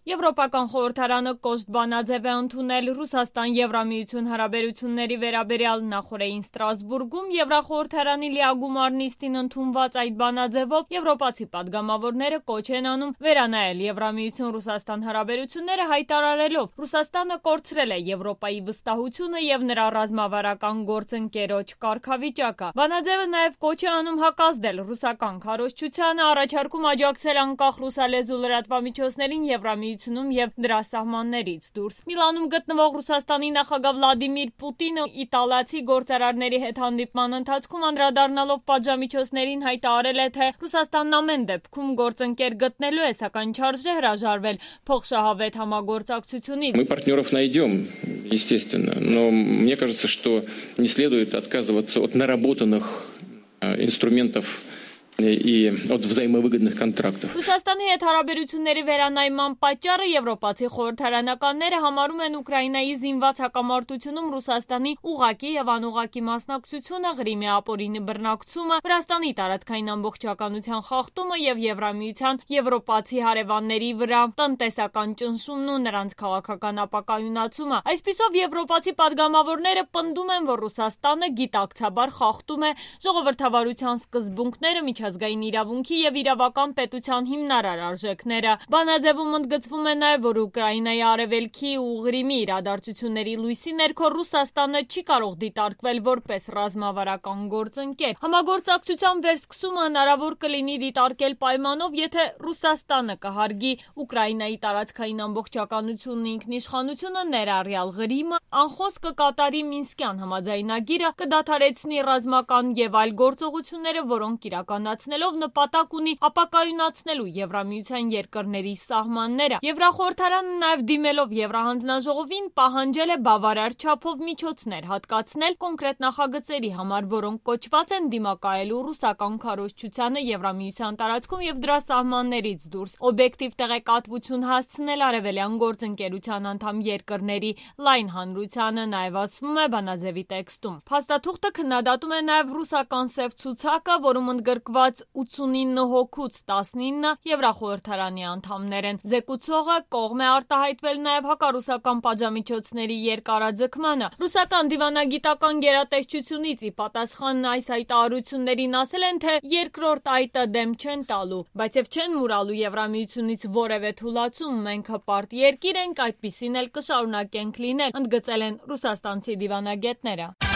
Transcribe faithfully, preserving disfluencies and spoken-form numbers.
Եվրոպական խորհրդարանը կոշտ բանաձև է ընդունել Ռուսաստան-Եվրամիություն հարաբերությունների վերաբերյալ նախորդին Ստրասբուրգում Եվրախորհրդարանի լիագումար նիստին ընդունված այդ բանաձևով եվրոպացի պատգամավորները կոչ են անում վերանայել Եվրամիություն-Ռուսաստան հարաբերությունները, հայտարարելով Ռուսաստանը կորցրել է Եվրոպայի վստահությունը եւ նրա ռազմավարական գործընկերոջ կարգավիճակը։ Բանաձևը նաեւ կոչ է անում հակազդել ռուսական քարոզչությանը, առաջարկում աջակցել անկախ ռուսալեզու լրատվամիջոցներին Եվրամիություն եւ դրա սահմաններից դուրս։ Միլանում գտնվող Ռուսաստանի նախագահ Վլադիմիր Պուտինը իտալացի գործարարների հետ հանդիպման ընթացքում անդրադառնալով պատժամիջոցներին հայտարարել է, թե Ռուսաստանն ամեն դեպքում գործընկեր գտնելու է, սակայն չարժե հրաժարվել փոխշահավետ համագործակցությունից։ Мы партнеров найдем, естественно, но мне кажется, что не следует отказываться от наработанных инструментов и от взаимовыгодных контрактов. Ռուսաստանի հետ հարաբերությունների վերանայման պատճառը եվրոպացի խորհրդարանականները համարում են Ուկրաինայի զինված հակամարտությունում Ռուսաստանի ուղղակի եւ անուղղակի մասնակցությունը, Ղրիմի ապօրինի բռնակցումը, Վրաստանի տարածքային ամբողջականության խախտումը եւ Եվրամիության եվրոպացի հարևանների վրա տնտեսական ճնշումն ու նրանց քաղաքական ապակայունացումը։ Այսպիսով եվրոպացի падգամավորները պնդում են, որ Ռուսաստանը գիտակցաբար խախտում է ժողովրդավարության սկզբունքները, միջազգային իրավունքի եւ իրավական պետության հիմնարար արժեքները։ Բանաձևում ընդգծվում է նաեւ, որ Ուկրաինայի արևելքի ու Ղրիմի իրադարձությունների լույսի ներքո Ռուսաստանը չի կարող դիտարկվել որպես ռազմավարական գործընկեր։ Համագործակցության վերսկսումը հնարավոր կլինի դիտարկել պայմանով, եթե Ռուսաստանը կհարգի Ուկրաինայի տարածքային ամբողջականությունն ու ինքնիշխանությունը, ներառյալ Ղրիմը, անխոս կկատարի Մինսկյան համաձայնագիրը, կդադարեցնի ռազմական եւ այլ գործողությունները, որոնք իրականացնելով նպատակ ունի ապակայունացնելու Եվրամիության երկրների սահմանները։ Եվրախորհրդարանը նաեւ դիմելով Եվրահանձնաժողովին պահանջել է բավարար չափով միջոցներ հատկացնել կոնկրետ նախագծերի համար, որոնք կոչված են դիմակայելու ռուսական քարոզչությանը Եվրամիության տարածքում եւ դրա սահմաններից դուրս, օբյեկտիվ տեղեկատվություն հասցնել արևելյան գործընկերության անդամ երկրների լայն հանրությանը, նաեւ ասվում է բանաձևի տեքստում։ Փաստաթուղթը քննադատում է նաեւ ռուսական սև ցուցակը, որում ընդգրկված ութսունինը հոգուց տասնինը Եվրախորհրդարանի անդամներ են։ Զեկուցողը կողմ է արտահայտվել նաեւ հակառուսական պատժամիջոցների երկարաձգմանը։ Ռուսական դիվանագիտական գերատեսչությունից ի պատասխան այս հայտարարություններին ասել են, թե երկրորդ այտը դեմ չեն տալու, բայց եւ չեն մուրալու Եվրամիությունից որևէ թուլացում, մենք հպարտ երկիր ենք, այդպիսին էլ կշարունակենք լինել, ընդգծել են ռուսաստանցի դիվանագետները։